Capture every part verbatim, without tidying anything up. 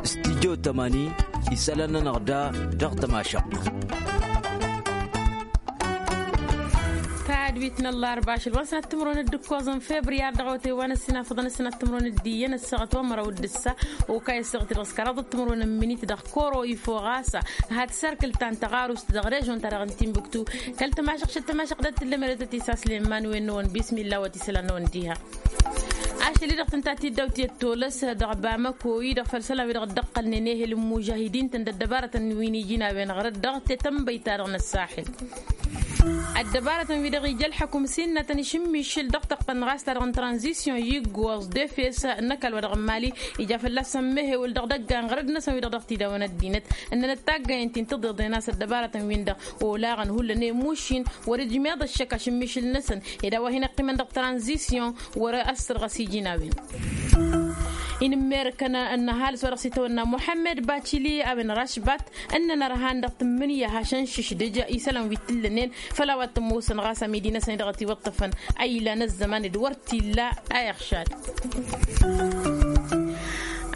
Studyo tămani isălan-nănăɣ da dăɣ-tămašăɣt. Tadwit n-ăllarba ašăl wa n-sănat timǝrwen d-ǝkkoẓ n-febriyar dăɣ-awătay wa n-ăssinafăḍăn ăssinat timǝrwen d-iyyăn ăssaɣăt wa n-măraw d-ǝssa. Okay ăssaɣăt-i dăɣ-s kăraḍăt timǝrwen n-minit dăɣ-koro ifo ɣasa. Hat sarkǝl ta n-tăɣarust dăɣ-režon ta dăɣ-n timbuktu. Kăl-tămašăɣ šăt tămašăɣ dat-tǝllăm eretăt isaslem man wen-năwăn bismilla wa t-isălan-năwăn diha. Ašăl-i-dăɣ tǝnta tiddawt i-ăttolăs dăɣ-bamăko i-dăɣ făll-isălan wi-dăɣ dd-ăqqălnen ehel n-mužahidin-tăn d-ăddăbarătăn wi n-iji n-a-wen ɣărăt dăɣ-tetănbăyt-ta-dăɣ n-ăssaxil. Ăddăbarătăn wi-dăɣ ija ălḥăkum s-innătăn išǝmmišǝl dăɣ-tăqqăn ɣas ta-dăɣ n-tranzisyon i-iggoẓ d-efes n-ăkall wa dăɣ-n mali. Ija fălla-săn mehewăl dăɣ-idăggan ɣărăd-năsăn wi-dăɣ dăɣ-tidawăn ăddinăt ǝnnănăt taggăyen ti n-tiḍeḍen a-s ăddăbarătăn-win-dăɣ olaɣăn hullan i-mušin wăr-ijmeḍ ăššăk ašǝmmišǝl-năsăn. Ed a-wa hin-iqqimăn dăɣ-tranzisyon wăr-ăssărɣăs iji n-a-wen. Inǝmmerkăn ănnăhalǝs wa dăɣ-s itawănna muḥămmed bacili a-wen rašbat ǝnnăn ărhan dăɣ-tǝmmǝnǝya hašăn šǝšdǝj isălan wi t-ǝllănen făll-a-wa t-ămoosăn ɣas amidi-năsăn i-dăɣ ătiwăṭṭăfăn. Aylan ăzzăman d-wăr t-illa a iɣšad.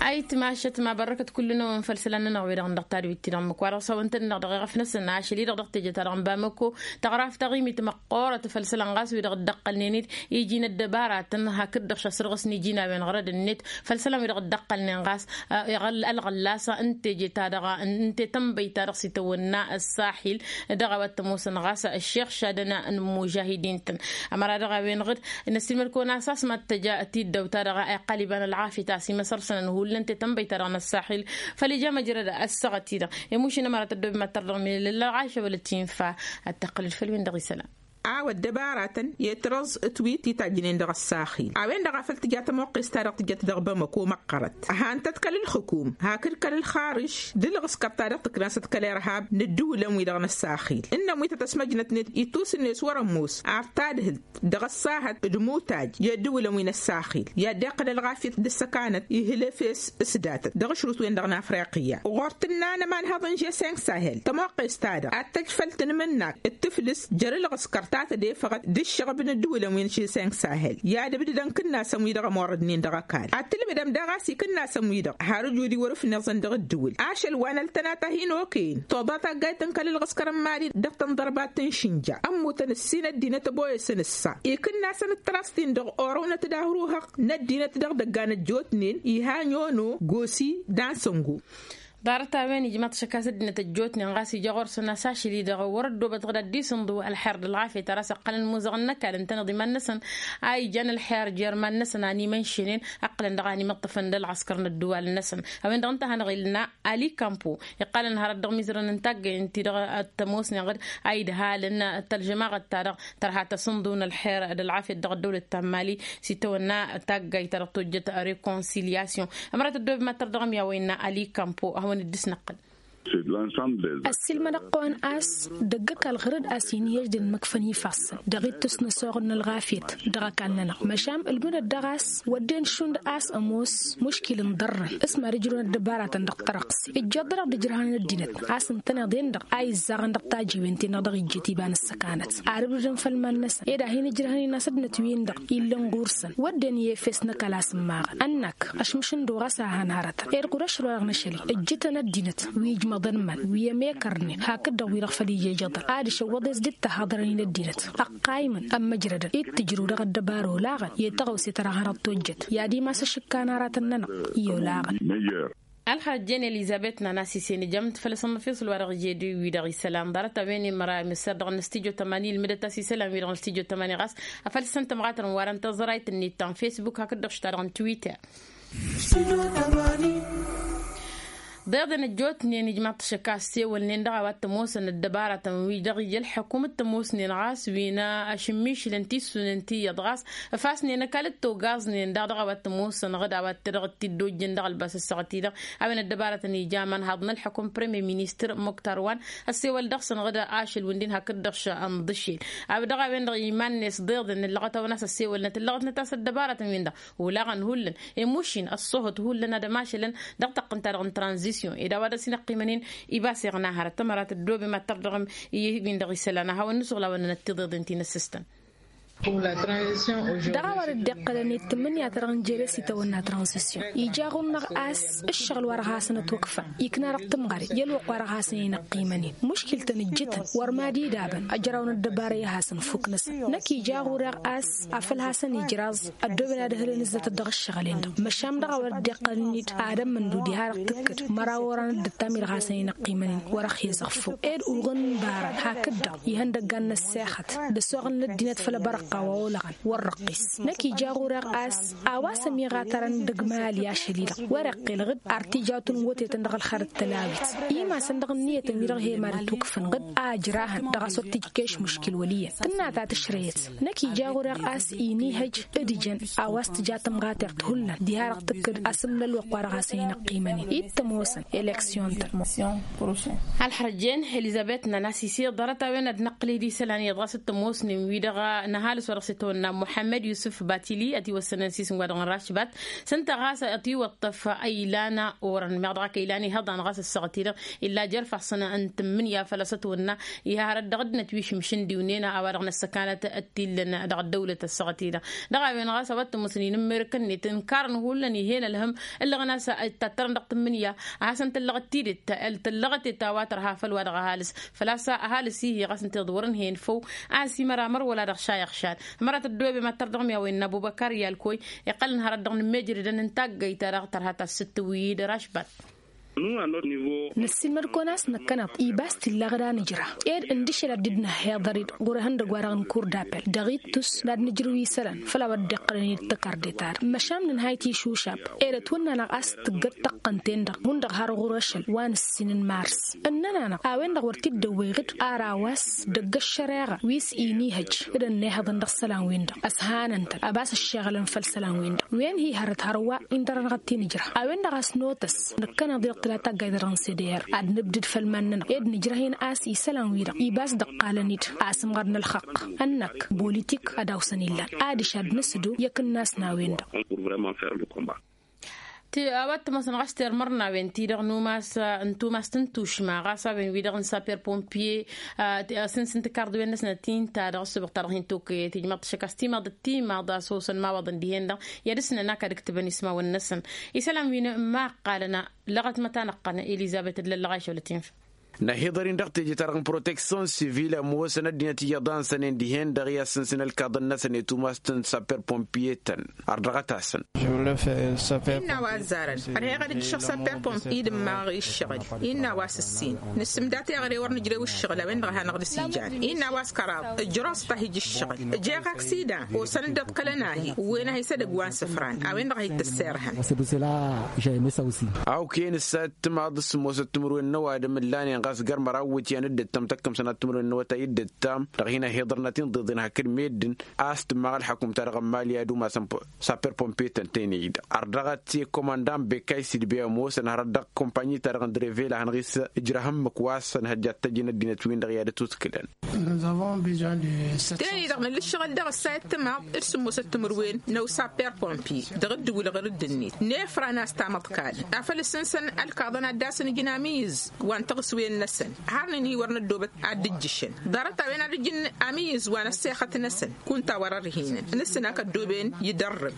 Ayǝtmašăt ma bărrăkăt kull-năwăn făll-isălan-nănăɣ wi-dăɣ dăɣ-tadwit-ti-dăɣ ǝmmǝk wa dăɣ-s hawăn-tăn-dăɣ dăɣ-iɣăf-năsăn ašăl-i-dăɣ dăɣ-teje-ta-dăɣ n-bamăko. Tăɣraft taɣimit măqqoorăt făll-isălan ɣas wi-dăɣ dd-ăqqălnen-dd iji n-ăddăbaratăn hakd-dăɣ šasrăɣ s-niji n-a-wen ɣărăd-net făll-isălan wi-dăɣ dd-ăqqălnen ɣas ălɣăllas n-teje-ta-dăɣ n-tetănbăy-ta-dăɣ s-itawănna ăssaxil. Dăɣ-a-wa t-ămoosăn ɣas ăššexšadăn n-imužahidin-tăn. Ămăra dăɣ-a-wen-dăɣ d-năssiilmăd-kăwăn a-s a-s mad-tăj tiddawt-ta-dăɣ a iqqal iba n-ălɣafyăt a-s imăsăr-săn ănhullăn tetănbăy-ta-dăɣ n-ăssaxil. Făll-ija măjrăd ăssaɣăt-i-dăɣ i-mušin ămăra tăddob mad-tărdăɣ milăl ălɣayša wăla t-infa. Ad-tăqqǝlăd făll-wen-dăɣ isălan. A-wa ăddăbaratăn i-trăẓ ǝtwit titajjnen dăɣ-ăssaxil a-wen-dăɣ a făl tǝja tămoqqest-ta-dăɣ tǝjăt dăɣ-bamăko măqqărăt. Ăhan-tăt kăl-ǝlxǝkum hakd kăl-ǝlxarǝš d-ǝlɣǝskăr-ta-dăɣ tǝknasăt kăl-irhab n-ǝddǝwǝlăn-wi-dăɣ n-ăssaxil ǝnnăn wi tăt-ăsmăjnătnet itusǝnne s-wăr-ămoos ar tadhǝlt dăɣ-ăssahăt d-imutaj i-ăddǝwǝlăn wi n-ăssaxil i-ad-iqqăl ălɣafyăt d-ǝssăkanăt ihǝl efes s-datăt dăɣ-ašrut-wen-dăɣ n-afriqya. Ɣur-tǝnna n-ămanhăḍ n-žeseng sahel tămoqqest-ta-dăɣ ad-tăj făll-tanmǝnnakt d-tǝflǝs jer-ǝlɣǝskăr ta tădefăɣăt d-ǝššăɣb n-ǝddǝwǝlăn wi n-žeseng sahel i-ad-ǝbdǝdăn ikǝnnasăn-wi-dăɣ ămorrădnen dăɣ-ăkall ad-tǝlbǝdăm daɣ a-s ikǝnnasăn-wi-dăɣ har ǝjud-i wăr-ǝfneẓăn dăɣ-ǝddǝwǝl ašăl wa n-ăltănat a hin-okăyăn toḍa taggayt n-kăl-ǝlɣǝskăr n-mali dăɣ-tănḍărbat n-išǝnja ămmutăn ǝssin ăddinăt ăboyăsăn ǝssa ikǝnnasăn d-trast-in-dăɣ orăwnăt d-ahruhăɣ n-ăddinăt dăɣ-idăggan ăjjootnen iha ănyono gosi d-ansăngo. Ḍarăt-a-wen ijmaḍ-t ašăk a-s ăddinăt ăjjootnen ɣas ija ɣur-săn a-s ašăl-i-dăɣ wăr-ăddoobăt ɣǝd ad-dd-isǝnḍǝw ălxer d-ălɣafyăt ar a-s ǝqqălăn imuzăɣăn n-ăkall ǝntăneḍ iman-năsăn a ijan ălxer jer-iman-năsăn a n-imănšănen ǝqqǝlăn dăɣ-a n-imǝṭṭăfăn d-ălɣăskăr n-ădduwal-năsăn. A-wen-dăɣ ǝnta a hanăɣ-illa ali kampo iqqalăn hărăt dăɣ-imizărăn n-taggăyăn-ti-dăɣ tămoosnen ɣǝd a idhalăn tălžămaɣăt-ta-dăɣ tărha tăsǝnḍǝw n-ălxer d-ălɣafyăt dăɣ-ăddăwlăt ta n-mali s-itawănna taggayt-ta-dăɣ tojjăt rekonsilyasyon. Ămărat ăddoob mad-tărdăɣăm i-a-wa innă ali kampo a hawăn-dd-ǝsnăqqǝl. Ăssiilmădăɣ-kăwăn a-s dăgg-ăkall ɣǝrǝd a-s hin-iyyăjdăn măkfăn ifassăn dăɣ-ittus n-ăsoɣǝl n-ălɣafyăt dăɣ-ăkall-nănăɣ măšan ǝlmǝdăt dăɣ-a-s wădden šund a-s ămoos muškil n-iḍărrăn s-mad-ijrǝwăn ăddăbaratăn dăɣ-tărăqs ijjeḍ-dăɣ d-ijrăhăn n-ăddinăt a-s ǝntăneḍ-en-dăɣ a izzaɣăn dăɣ-tajiwen-ti-dăɣ dăɣ-ijjăt iba n-ǝssăkanăt. Ar ǝbrǝdăn făll-iman-năsăn ed ad-hin-ǝjrăhăn-in a-s ăddinăt-win-dăɣ illăn ɣur-săn wădden i-efes n-ăkall a-s ǝmmaɣăn ănnak ăšmǝšǝndu ɣas a han hărătăn ed ɣur-ăšrăwăr-dăɣ n-ašăl-i ǝjjǝtăn ăddinăt wi ijmăḍăn iman wi ămekărnen hakd-dăɣ wi-dăɣ făll-ija ijăḍăr ad-išăwwăḍ-e-s dd-tahăḍrăn-in ăddinăt ăqqaymăn ămmăjrădăn i-tǝjrǝw dăɣ-ăddăbar olaɣăn i-taɣăwse ta dăɣ-hanăɣ-tojjăt i-ad-imas ašǝkkan aratăn-nănăɣ i-olaɣăn. Ălxăr ăjjeen elizăbet nana s-isen ijam-t făll-asămmăfeṣul wa dăɣ-ije d-wi-dăɣ isălan ḍarăt a-wen imăra imǝssar dăɣ-năstijyo tămani ilmǝdăt a-s isălan wi-dăɣ năstijyo tămani ɣas afăl s-ǝntămɣatăn wa dăɣ-n tăẓrayt-net ta n-fesbuk hakd-dăɣ šta dăɣ-n twitter. Ḍeḍen ăjjootnen ijmaḍ-t ašăk a ăssewălnen dăɣ-a-wa t-ămoosăn ăddăbaratăn wi dăɣ-ija ălḥăkum t-ămoosnen ɣas wi n-ašǝmmišǝlăn tissunen tiyyăḍ ɣas ăfasnen ăkall t-ogaẓnen daɣ dăɣ-a-wa t-ămoosăn ɣǝd a-wa t-dăɣ-t dd-ojjăn dăɣ-ălbas ăssaɣăt-i-dăɣ. A-wen ăddăbaratăn ija amanhaḍ n-ălḥăkum premier ministăr muktar wa n-ăssewăl dăɣ-săn ɣǝd ašăl wi n-din hakd-dăɣ š-ănḍǝšel a-wa dăɣ-a-wen-dăɣ iman-net ḍeḍen ǝllăɣăt-awăn a-s ăssewălnăt ǝllăɣătnăt a-s ăddăbaratăn-win-dăɣ olaɣăn hullan i-mušin ăṣṣuhăt hullan ad-ămašălăn dăɣ-tăqqǝnt-ta-dăɣ n-tranzisyon ed a-wa dăɣ-s inăqqimăn-in. Ibas iɣna hărăt ămăra tăddoobem ad-tărdăɣăm i-win-dăɣ isălan a hawăn-nǝsuɣǝl a-wa ǝnnănăt tiḍeḍen ti n-ăssistăn. Dăɣ-a-wa dd-iqqălăn i-tǝmmǝnǝya-ta-dăɣ n-jere s-itawănna tranzisyon ija ɣur-năɣ a-s ǝššăɣǝl wa dăɣ-hasăn-ătwăkfăn ikna dăɣ-tǝmɣăre i-ălwăqq wa dăɣ-hasăn inăqqimăn-in muškil-tăn ǝjjǝtăn wăr mad-idabăn ăjraw n-ăddăbara i-ad-hasăn-fuk-năsăn. Năkk ija ɣur-eɣ a-s afăl hasăn-ijraẓ ăddooben ad-ǝhǝlăn ǝzzătăt dăɣ-ǝššăɣǝl-en-dăɣ măšan dăɣ-a-wa dd-iqqălăn-dd ad-ămmǝndu diha-dăɣ tǝkkǝd măraw oran dd-ăttam-i-dăɣ hasăn-inăqqimăn-in wăr-ăxhezăɣ făw ed uɣǝn n-ibara hakd-dăɣ ihăndăggan n-ăssexăt d-ăsoɣǝl n-ăddinăt făll-abărăqqa wa olăɣăn wăr răqqis. Năkk ija ɣur-eɣ a-s a-wa s-ămiɣatărăn dăgg-imali ašăl-i-dăɣ wăr-iqqel ɣǝd ar tijawt n-wătetăn dăɣ-ălxărăt tălawit imasăn dăɣ-ǝnniyătăn-wi-dăɣ he-mad-itwǝkfăn ɣǝd a ǝjrahăn dăɣ-a-s wăr t-ijkeš muškil wăl' iyyăn tǝnna ta tǝšrăyăt. Năkk ija ɣur-eɣ a-s inihăj d-ijăn a-wa s-tǝja tămɣateɣt hullan diha-dăɣ tǝkkǝd asǝmlăl wăqq wa dăɣ-hasăn-inăqqimăn-in i d-tămoosăn eleksyon-tăn. Ălxărăjjen elizăbet nănasise ḍarăt-a-wen ad-năqqǝl-dd isălan iyyăḍ ɣas d-tămoosnen wi-dăɣ n-ăhalǝs wa dăɣ-s itwănna muḥămmăd yusǝf batili ătiwăssănăn s-isǝm wa dăɣ-n rašbat s-ǝnta ɣas ătiwăṭṭăf ăylan orăn meɣ dăɣ-ak ăylan ihăḍan ɣas ăssaɣăt-i-dăɣ illa jer-ifassăn n-tǝmmǝnǝya făl-a-s ătwănna iha hărăt dăɣ-ăddinăt wi išǝmšǝn d-iwnen a-wa-dăɣ n-ăssăkanăt t-illăn dăɣ-ăddăwlăt ăssaɣăt-i-dăɣ. Dăɣ-a-wen ɣas a-wa t-ămoosăn inǝmmerǝkăn-net ǝnkarăn hullan ih'-en ălhăm ǝllăɣăn a-s itattărăn dăɣ-tǝmmǝnǝya a hasăn-tăllăɣăt tidǝt tăllăɣăt-et a-wa tărha făll-wa-dăɣ ăhalǝs făl-a-s ăhalǝs-i-hi ɣas ǝnta iḍwărăn hen făw a-s imăra măr wăla dăɣ-šayăɣ šal. Ămărat ăddoobe mad-tărdăɣmi a-wa innă ăbubăkar i-alkoy iqqălăn hărăt dăɣ-inǝmmejrădăn n-taggayt-ta-dăɣ tărha tassǝttǝw-i d-rašbat. Năssiilmăd-kăwăn a-s năkkăneḍ ibas t-illa ɣǝd a nǝjrah ed ǝndǝšel ad-dd-năhhiḍăr-dd ɣur-ehăndăgg-wa-dăɣ n-kurdapel dăɣ-ittus n-ad-nǝjrǝw isălan făll-a-wa dd-iqqălăn-dd tăkarde-ta-dăɣ măšan nǝnhăy tišušab ed ătwănn'-anăɣ a-s tǝggăt tăqqăn-ten-dăɣ hundăɣ har ɣur-ašăl wa n-ǝssin n-mars. Ǝnnăn-anăɣ a-wen-dăɣ wăr t-dd-ăwwey ɣǝd ar a-wa s-dăgg-ăššăreɣa wi s-inihăj d-ănnihăḍăn dăɣ-isălan-win-dăɣ ăshanăn-tăn ăbas ǝššeɣălăn făll-isălan-win-dăɣ wen hi-hărăt hărwa. Indărănăɣ d-tinǝjrăh a-wen-dăɣ a-s notăs năkkăneḍ-i dăɣ-tǝla taggayt-ta-dăɣ n-seder ad-nǝbdǝd făll-iman-nănăɣ ed nǝjrăh-in a-s isălan-wi-dăɣ ibas dd-ăqqalăn-dd a-s ǝmɣăr n-ălxăqq ănnăk politik ad-awsăn illan adiš ad-nǝsǝdu i-akǝnnas n-a-wen-dăɣ. Ti a-wa t-ămoosăn ɣas termărnawen-ti-dăɣ n-umas n-tumast n-tušma ɣas a-wen-wi-dăɣ n-saper pompier a-s n-sǝnta ikarḍǝwen-năsnăt ti n-ta-dăɣ ăssubăɣ-ta-dăɣ hin-tokăyăt ijmaḍ-t šăkk a-s timaḍ d-timaḍ a-s osăn imawaḍăn dihen-dăɣ i-ad-ǝsnăn akad ǝktǝbăn ismawăn-năsăn. Isălan wi n-imaqqalăn lăɣăt măta năqqăn elizăbet d-lăllăɣ a išăwlăt infa. Năhiḍăr-in dăɣ-teje-ta-dăɣ n-proteksyon sivil ămoosăn ăddinăt iyyăḍ a ǝnsănen dihen-dăɣ i-ad-sǝnsǝn ălkaḍăn-năsăn i-tumast n-saper pompier-tăn. Ardăɣăt-asăn. Innă a-wa ăzzarăn ărheɣ ad-ǝjjǝšăɣ saper pompier d-ǝmmaɣăɣ i-ǝššăɣǝl. Innă a-wa s-ǝssin nǝssǝmda teɣăre wăr nǝjrew ǝššăɣǝl a-wen-dăɣ a hanăɣ-dd-sijan. Innă a-wa s-kăraḍ ǝjrăẓ-t ad-hǝj ǝššăɣǝl ǝjeɣ aksidan. Osăn-dd ăḍkălăn ahi ǝwwen-ahi s-edăgg wa n-isǝfran a-wen-dăɣ a hi-t-ǝssirhăn. Awkăyăn ǝssa d-timaḍ s-ămoosăt timǝrwen n-ăwadǝm ǝllanen ɣas găr măraw iwǝtyan dd-ǝttam tăkkăm sănat timǝrwen n-awătay dd-ǝttam dăɣ-hin-ăhiḍărnăt inḍeḍen hakd meddǝn. A-s tǝmmaɣ ălḥăkum-ta-dăɣ n-mali ad-umasăn saper pompier-tăn tăynăy-i-dăɣ ardăɣăt i-kămăndan bekkay sidbe ămoosăn hărăt dăɣ-kămpanyi-ta-dăɣ n-drevela hanăɣ-s ǝjrăh ǝmmǝk wa s-ănhăjja ad-t-ăjǝn ăddinăt-win-dăɣ i-ad-ătwǝtkǝlăn. Tenăy-dăɣ nǝllǝššăɣǝl dăɣ-ăssayăt timaḍ d-sǝmmosăt timǝrwen n-ăwsaper pompier dăɣ-dd-wǝlɣăr dd-net nefran a-s tamăḍkal afăl ǝssǝnsăn ălkaḍăn ad-dd-asǝnǝjǝn amǝyyǝz wa n-taɣǝswen-năsăn. Har nǝnhǝy wăr năddoobăt ad-dd-ǝjjǝšăn ḍarăt-a-wen ad-ǝjǝn amǝyyǝz wa n-ăssexăt-năsăn kunta wăr-ărhinăn. Nǝssǝn akăddooben idărrǝb.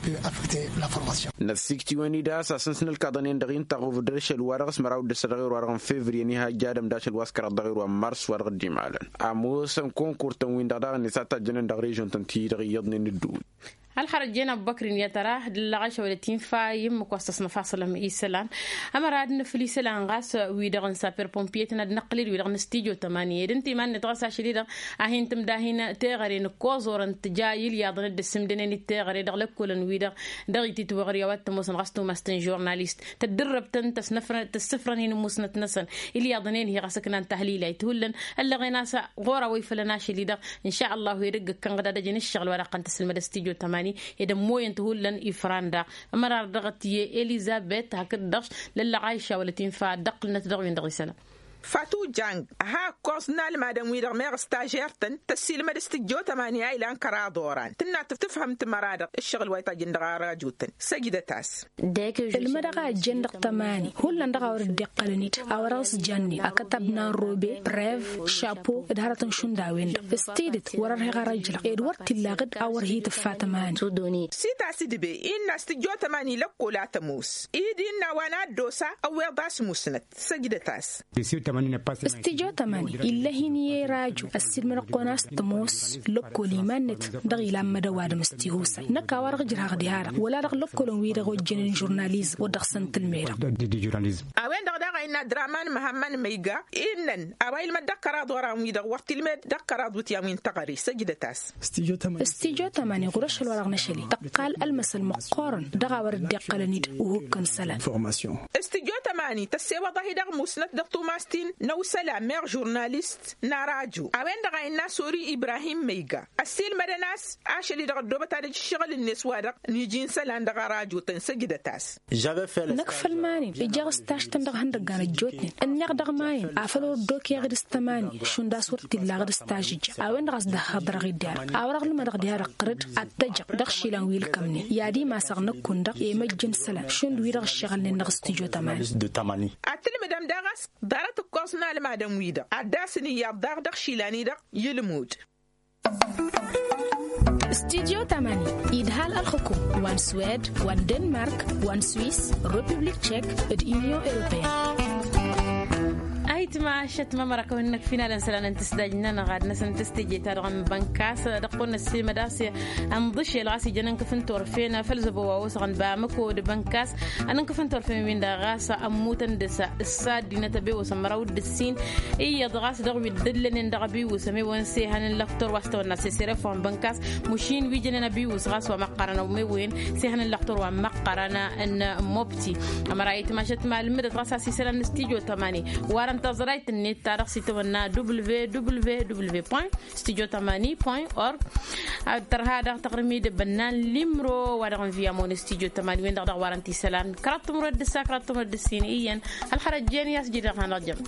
Năssikt'-iwăn-dd a-s asǝnsǝn ălkaḍăn-en-dăɣ inta ɣuvǝd ašăl-wa-dăɣ s-măraw d-ăssăt dăɣ-erwa-dăɣ n-fevriye n-iha ăjj adăm d-ašăl wa s-kăraḍ dăɣ-erwa n-mars wa dăɣ-dd-imalăn. Ămoosăn konkur-tăn-win-dăɣ daɣ-net a tajjănen dăɣ-režion-tăn-ti-dăɣ iyyăḍnen ǝddǝwǝl. Ălxărăt jen abbăkr-in i-ad-tăra d-ăllăɣ ašăwălăt infa i-ǝmmǝk wa s-tăsnăfasălăm isălan. Ămăra ad-nǝfǝl isălan ɣas wi-dăɣ n-saper pompier-tăn ad-năqqǝl-dd wi-dăɣ n-studyo tămani ed ǝnta iman-net ɣas ašăl-i-dăɣ a hin-tǝmda hin-teɣăre nǝkkoẓorăn tǝja ilyaḍăn dd-ǝssǝmdănen d-teɣăre dăɣ-lăkkolăn-wi-dăɣ dăɣ-ititwăɣri a-wa t-ămoosăn ɣas tumast n-žurnalist tăddǝrrăb-tăn tăsnăfrăn tăssǝfrăn hin-ǝmmusnăt-năsăn. Ilyaḍăn-en-hi ɣas ǝknan tahlila ithullăn ăllăɣen a-s ɣur-a-wa ifălăn ašăl-i-dăɣ. N-šalla hu edăgg ǝkkăn ɣǝd ad-ăjăn ǝššăɣǝl wa dăɣ-tăn tǝsǝlmăd studyo tămani ed ămmoyăn-t hullan ifran daɣ. Ămăra ar dăɣ-t i-elizăbet hakd-dăɣ lăllăɣ aisha wăla tinfa dd-ăqqǝlnăt dăɣ-win-dăɣ isălan. Fatu jang, ha ǝkkoẓ n-almadăn-wi-dăɣ meɣ stažer-tăn tăssilmăd s-tǝjjo tămani a ilan kăraḍ oran tǝnna tǝfhǝm timăra-dăɣ ǝššăɣǝl wa itajjăn dăɣ-arajutăn. Săjdăt-as. Ǝlmădăɣ a ăjjăn dăɣ-tămani hullan dăɣ-a wăr dd-iqqălăn-dd a wăr-ăẓjannen akătab n-anrobe, prev, šapo, d-hărătăn šund a-wen-dăɣ. S-tidǝt wăr-ărheɣ ara ǝjlăɣ ed wăr t-illaɣ-dd a wăr hi-tǝffa tămani. Sitas d-be innă a-s tǝjjo tămani lăkkol a tămoos-i d-innă wa n-ad-dd-osa ăwweḍ a-s musnăt. Săjdăt-as. S-tijotămani ill'-e hin-i-e raju ăssiilmădăɣ-kăwăn a-s tămoos lăkkol iman-net. Dăɣ-ilan mădăw adǝm s-tihusay năkk a-wa-dăɣ ǝjrăhăɣ diha-dăɣ wăla dăɣ-lăkkolăn-wi-dăɣ ojjănen žurnalizm wăr dăɣ-săn tǝlmedăɣ. A-wen-dăɣ daɣ a innă draman măhamman măyga innăn a-wa ilmăd dăɣ-kăraḍ oran-wi-dăɣ wăr t-ilmed dăɣ-kăraḍ wǝtyan wi n-teɣăre. Săjdăt-as. S-tijo tămani ɣur-ašăl wa dăɣ-năšăli tăqqal ălmăsăl măqqoorăn dăɣ-a wăr dd-iqqălăn-dd uhǝkkăn isălan. S-tijo tămani tăssewăḍ-ahi dăɣ-musnăt dăɣ-tumas-tin n-ăwsălan meɣ žurnalist n-arajo a-wen-dăɣ a innă sori ibrahim măyga ăssiilmădăn a-s ašăl-i-dăɣ ăddoobăt ad-ăj ǝššăɣǝl-net wa-dăɣ n-iji n-isălan dăɣ-arajotăn. Săjdăt-as. Năkk făll-iman-in ǝjjeɣ s-taš-tăn dăɣ-ihăndăggan ăjjootnen ǝnniɣ dăɣ-iman-in afăl wăr dd-okeɣ d-s tămani šund a-s wăr t-illa ɣǝd s-tažǝjja. A-wen-dăɣ a-s dd-ăhhăḍrăɣ-dd i-ad-dăɣ a wăr-ălmădăɣ diha-dăɣ ɣǝrǝd ad-t-ăjăɣ dăɣ-išilan wi ǝlkămnen i-ad-imasăɣ năkk-un-dăɣ i-măjj n-isălan šund wi-dăɣ ǝššăɣǝlnen dăɣ-s tijo tămani. Ad-tǝlmǝdăm daɣ a-s ḍarăt ǝkkoẓ n-almadăn-wi-dăɣ ad-dd-asǝn iyyăḍ daɣ dăɣ-išilan-i-dăɣ i-ǝlmud. Studyo tămani idhal ălxǝkum wa n-swed wa n-denmark wa n-swis, republik tšek d-union europeyăn. Ayǝtma ašăt mămăra kăwăn-năkk finalăn isălan n-tǝsdajnăn ɣad-năsăn tǝstǝje-ta-dăɣ n-bănkas dăɣ-kăwăn-năssiilmăd a-s ănḍǝšel ɣas ijăn ǝnkǝf n-torfen făll-zăbo wa osăɣăn bamăko d-bănkas. Ănǝnkǝf n-torfen-win-dăɣ ɣas ămmutăn dăɣ-s ăssa ăddinăt a bewăsăn măraw d-ǝssin iyyăḍ ɣas dăɣ-wi dd-ǝllănen dăɣ-abiwǝs ămewăn s-ehăn n-lăktor wa s-tawănna s-esăref wa n-bănkas. Măšin wi jănen abiwǝs ɣas wa măqqărăn ămewăn s-ehăn n-lăktor wa n-măqqărăn n-mobti. Ămăra itmašăt ma ǝlmǝdăt ɣas a-s isălan n-studyo tămani warăn taẓrayt-net ta dăɣ-s itawănna www studyo tămani point org. Ad-tărha daɣ taɣrǝm-i d-bănnan limro wa dăɣ-n viyamon studyo tămani-wen-dăɣ dăɣ-warăn tisălan kăraḍ timǝrwed d-ǝssa kăraḍ timǝrwed d-ǝssin iyyăn. Ălxărăt jen i-a-s jidăɣ hanăɣ-jăm.